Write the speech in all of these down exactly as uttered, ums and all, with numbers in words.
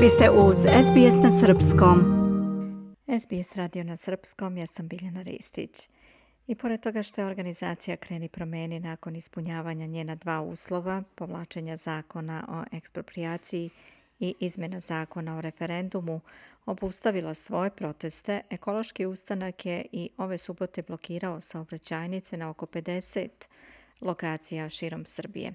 Vi ste uz S B S na srpskom. S B S radio na srpskom, ja sam Biljana Ristić. I pored toga što je organizacija Kreni promeni nakon ispunjavanja njena dva uslova, povlačenja zakona o eksproprijaciji i izmjena zakona o referendumu, obustavila svoje proteste, Ekološki ustanak je i ove subote blokirao saobraćajnice na oko pedeset lokacija širom Srbije.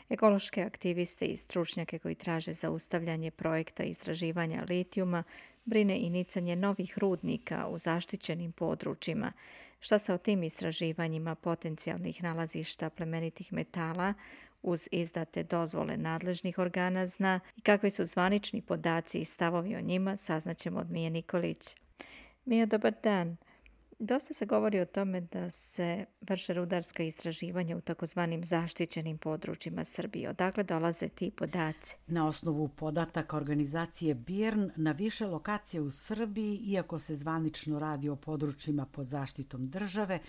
Ekološke aktiviste i stručnjake koji traže zaustavljanje projekta istraživanja litijuma brine i nicanje novih rudnika u zaštićenim područjima. Šta se o tim istraživanjima potencijalnih nalazišta plemenitih metala uz izdate dozvole nadležnih organa zna i kakvi su zvanični podaci i stavovi o njima, saznaćemo od Mije Nikolić. Mija, dobar dan. Dosta se govori o tome da se vrše rudarska istraživanja u takozvanim zaštićenim područjima Srbije. Odakle dolaze ti podaci? Na osnovu podataka organizacije B I R N na više lokacije u Srbiji, iako se zvanično radi o područjima pod zaštitom države,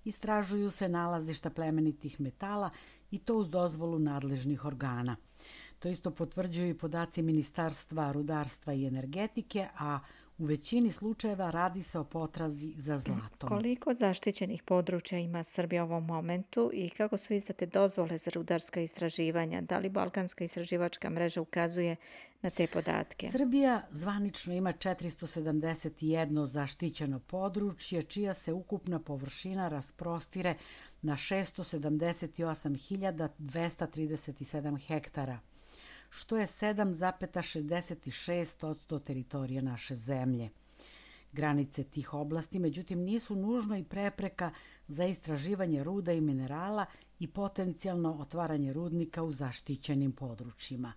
istražuju se nalazišta plemenitih metala i to uz dozvolu nadležnih organa. To isto potvrđuju i podaci Ministarstva rudarstva i energetike, a u većini slučajeva radi se o potrazi za zlatom. Koliko zaštićenih područja ima Srbija u ovom momentu i kako su izdate dozvole za rudarska istraživanja? Da li Balkanska istraživačka mreža ukazuje na te podatke? Srbija zvanično ima četiristo sedamdeset jedno zaštićeno područje, čija se ukupna površina rasprostire na šesto sedamdeset osam hiljada dvesta trideset sedam hektara, što je sedam zarez šezdeset šest posto teritorije naše zemlje. Granice tih oblasti, međutim, nisu nužno i prepreka za istraživanje ruda i minerala i potencijalno otvaranje rudnika u zaštićenim područjima.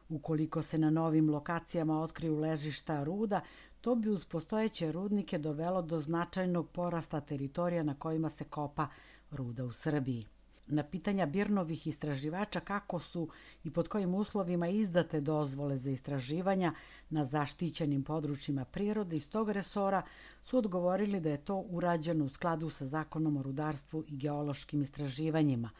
Ukoliko se na novim lokacijama otkriju ležišta ruda, to bi uz postojeće rudnike dovelo do značajnog porasta teritorija na kojima se kopa ruda u Srbiji. Na pitanja B I R N-ovih istraživača kako su i pod kojim uslovima izdate dozvole za istraživanja na zaštićenim područjima prirode iz tog resora su odgovorili da je to urađeno u skladu sa Zakonom o rudarstvu i geološkim istraživanjima.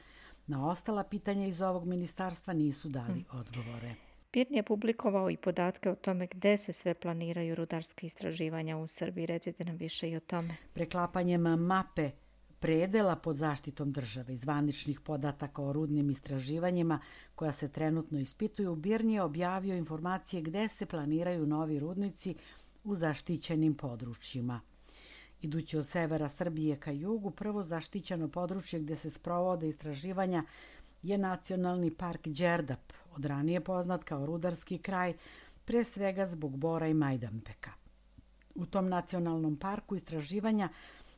Na ostala pitanja iz ovog ministarstva nisu dali odgovore. B I R N je publikovao i podatke o tome gde se sve planiraju rudarske istraživanja u Srbiji. Recite nam više i o tome. Preklapanjem mape predela pod zaštitom države i zvaničnih podataka o rudnim istraživanjima koja se trenutno ispituju, B I R N je objavio informacije gde se planiraju novi rudnici u zaštićenim područjima. Idući od severa Srbije ka jugu, prvo zaštićeno područje gde se sprovode istraživanja je Nacionalni park Đerdap, od ranije poznat kao rudarski kraj, pre svega zbog bora i majdanpeka. U tom nacionalnom parku istraživanja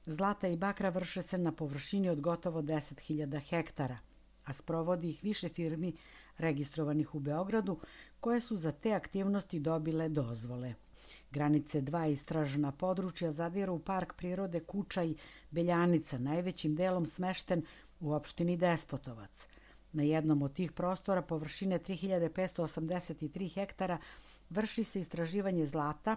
zlata i bakra vrše se na površini od gotovo deset hiljada hektara, a sprovodi ih više firmi registrovanih u Beogradu, koje su za te aktivnosti dobile dozvole. Granice dva istražena područja zadiru u park prirode Kučaj Beljanica, najvećim delom smešten u opštini Despotovac. Na jednom od tih prostora površine tri hiljade petsto osamdeset tri hektara vrši se istraživanje zlata,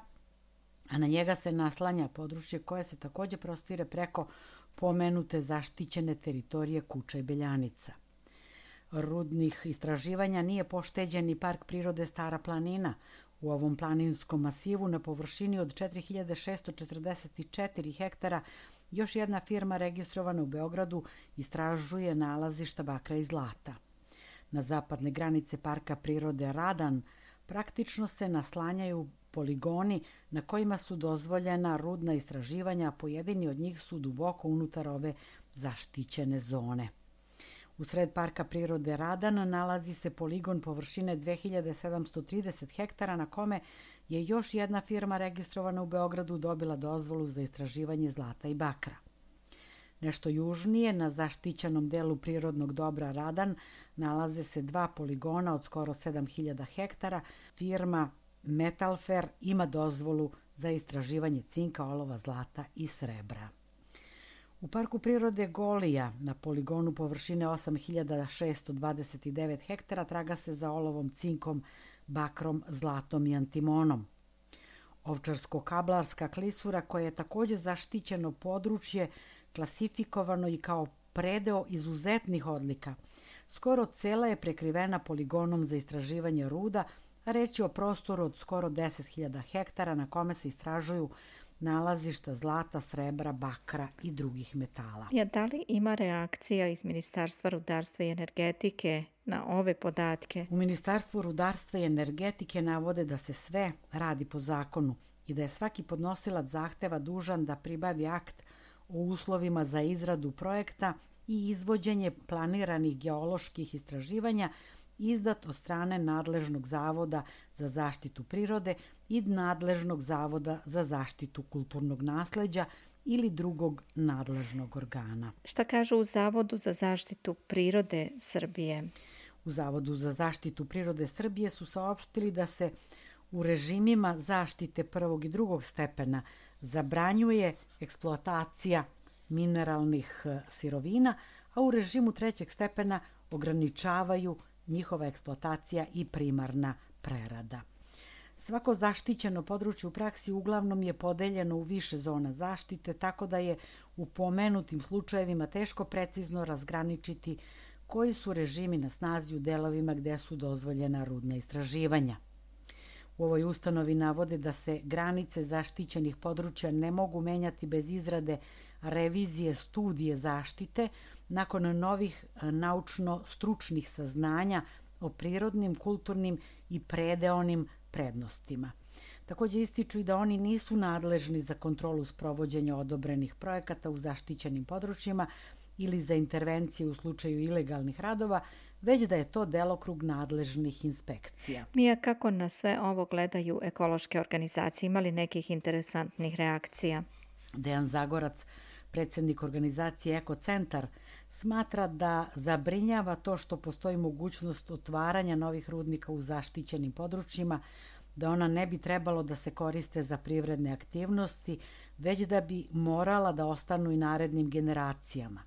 a na njega se naslanja područje koje se takođe prostire preko pomenute zaštićene teritorije Kučaj Beljanica. Rudnih istraživanja nije pošteđen ni park prirode Stara planina. U ovom planinskom masivu na površini od četiri hiljade šesto četrdeset četiri hektara još jedna firma registrovana u Beogradu istražuje nalazišta bakra i zlata. Na zapadne granice parka prirode Radan praktično se naslanjaju poligoni na kojima su dozvoljena rudna istraživanja, a pojedini od njih su duboko unutar ove zaštićene zone. U sred parka prirode Radan nalazi se poligon površine dve hiljade sedamsto trideset hektara na kome je još jedna firma registrovana u Beogradu dobila dozvolu za istraživanje zlata i bakra. Nešto južnije, na zaštićenom delu prirodnog dobra Radan, nalaze se dva poligona od skoro sedam hiljada hektara. Firma Metalfer ima dozvolu za istraživanje cinka, olova, zlata i srebra. U parku prirode Golija, na poligonu površine osam hiljada šesto dvadeset devet hektara, traga se za olovom, cinkom, bakrom, zlatom i antimonom. Ovčarsko-kablarska klisura, koja je takođe zaštićeno područje, klasifikovano i kao predeo izuzetnih odlika. Skoro cela je prekrivena poligonom za istraživanje ruda, Reč je o prostoru od skoro deset hiljada hektara na kome se istražuju nalazišta zlata, srebra, bakra i drugih metala. Ja, da li ima reakcija iz Ministarstva rudarstva i energetike na ove podatke? U Ministarstvu rudarstva i energetike navode da se sve radi po zakonu i da je svaki podnosilac zahteva dužan da pribavi akt o uslovima za izradu projekta i izvođenje planiranih geoloških istraživanja izdat od strane nadležnog zavoda za zaštitu prirode i nadležnog zavoda za zaštitu kulturnog nasleđa ili drugog nadležnog organa. Šta kažu u Zavodu za zaštitu prirode Srbije? U Zavodu za zaštitu prirode Srbije su saopštili da se u režimima zaštite prvog i drugog stepena zabranjuje eksploatacija mineralnih sirovina, a u režimu trećeg stepena ograničavaju njihova eksploatacija i primarna prerada. Svako zaštićeno područje u praksi uglavnom je podeljeno u više zona zaštite, tako da je u pomenutim slučajevima teško precizno razgraničiti koji su režimi na snazi u delovima gde su dozvoljena rudna istraživanja. U ovoj ustanovi navode da se granice zaštićenih područja ne mogu menjati bez izrade revizije studije zaštite nakon novih naučno-stručnih saznanja o prirodnim, kulturnim i predeonim prednostima. Takođe ističu i da oni nisu nadležni za kontrolu sprovođenja odobrenih projekata u zaštićenim područjima ili za intervencije u slučaju ilegalnih radova, već da je to delokrug nadležnih inspekcija. Mija, kako na sve ovo gledaju ekološke organizacije? Ima li nekih interesantnih reakcija? Dejan Zagorac, predsjednik organizacije Ekocentar, smatra da zabrinjava to što postoji mogućnost otvaranja novih rudnika u zaštićenim područjima, da ona ne bi trebalo da se koriste za privredne aktivnosti, već da bi morala da ostanu i narednim generacijama.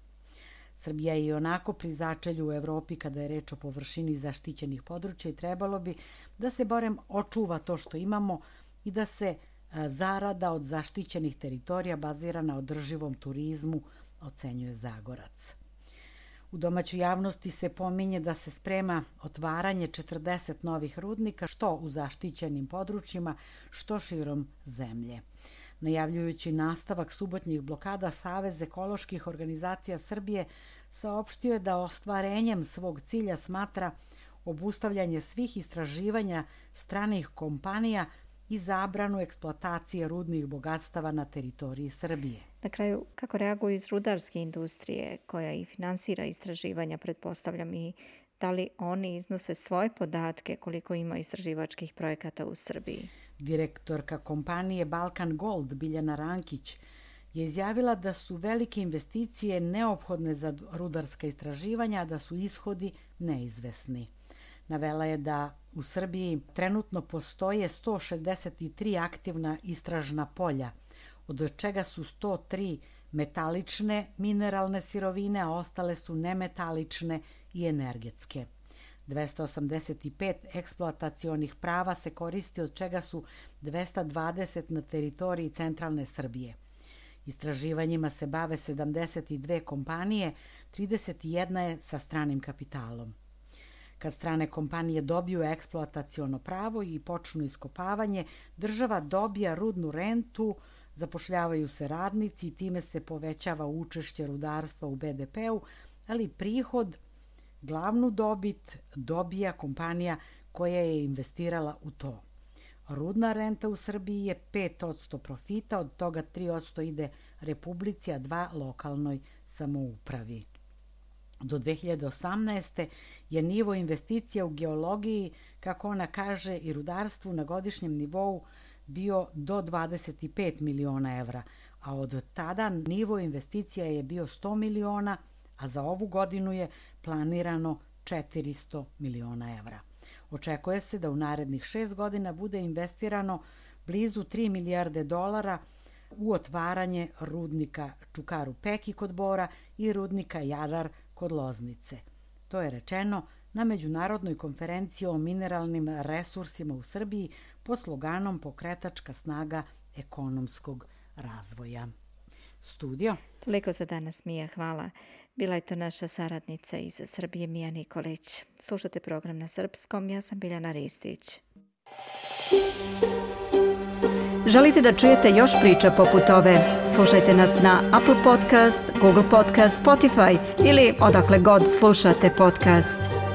Srbija je i onako pri začelju u Evropi kada je reč o površini zaštićenih područja i trebalo bi da se barem očuva to što imamo i da se zarada od zaštićenih teritorija bazira na održivom turizmu, ocenjuje Zagorac. U domaćoj javnosti se pominje da se sprema otvaranje četrdeset novih rudnika, što u zaštićenim područjima, što širom zemlje. Najavljujući nastavak subotnjih blokada, Savez ekoloških organizacija Srbije saopštio je da ostvarenjem svog cilja smatra obustavljanje svih istraživanja stranih kompanija i zabranu eksploatacije rudnih bogatstava na teritoriji Srbije. Na kraju, kako reaguju iz rudarske industrije koja i finansira istraživanja, pretpostavljam, i da li oni iznose svoje podatke koliko ima istraživačkih projekata u Srbiji? Direktorka kompanije Balkan Gold Biljana Rankić je izjavila da su velike investicije neophodne za rudarska istraživanja, a da su ishodi neizvesni. Navela je da u Srbiji trenutno postoje sto šezdeset tri aktivna istražna polja, od čega su sto tri metalične mineralne sirovine, a ostale su nemetalične i energetske. dvesta osamdeset pet eksploatacionih prava se koristi, od čega su dvesta dvadeset na teritoriji centralne Srbije. Istraživanjima se bave sedamdeset dve kompanije, trideset jedna je sa stranim kapitalom. Kad strane kompanije dobiju eksploataciono pravo i počnu iskopavanje, država dobija rudnu rentu, zapošljavaju se radnici i time se povećava učešće rudarstva u be de pe-u, ali prihod, glavnu dobit dobija kompanija koja je investirala u to. Rudna renta u Srbiji je pet posto profita, od toga tri posto ide Republici, a dva posto lokalnoj samoupravi. Do dve hiljade osamnaeste. je nivo investicija u geologiji, kako ona kaže, i rudarstvu na godišnjem nivou bio do dvadeset pet miliona evra, a od tada nivo investicija je bio sto miliona, a za ovu godinu je planirano četiristo miliona evra. Očekuje se da u narednih šest godina bude investirano blizu tri milijarde dolara u otvaranje rudnika Čukaru Peki kod Bora i rudnika Jadar kod Loznice. To je rečeno na Međunarodnoj konferenciji o mineralnim resursima u Srbiji pod sloganom Pokretačka snaga ekonomskog razvoja. Studio. Toliko za danas, Mija, hvala. Bila je to naša saradnica iz Srbije, Mija Nikolić. Slušate program na srpskom, ja sam Biljana Ristić. Želite da čujete još priča poput ove? Slušajte nas na Apple Podcast, Google Podcast, Spotify ili odakle god slušate podcast.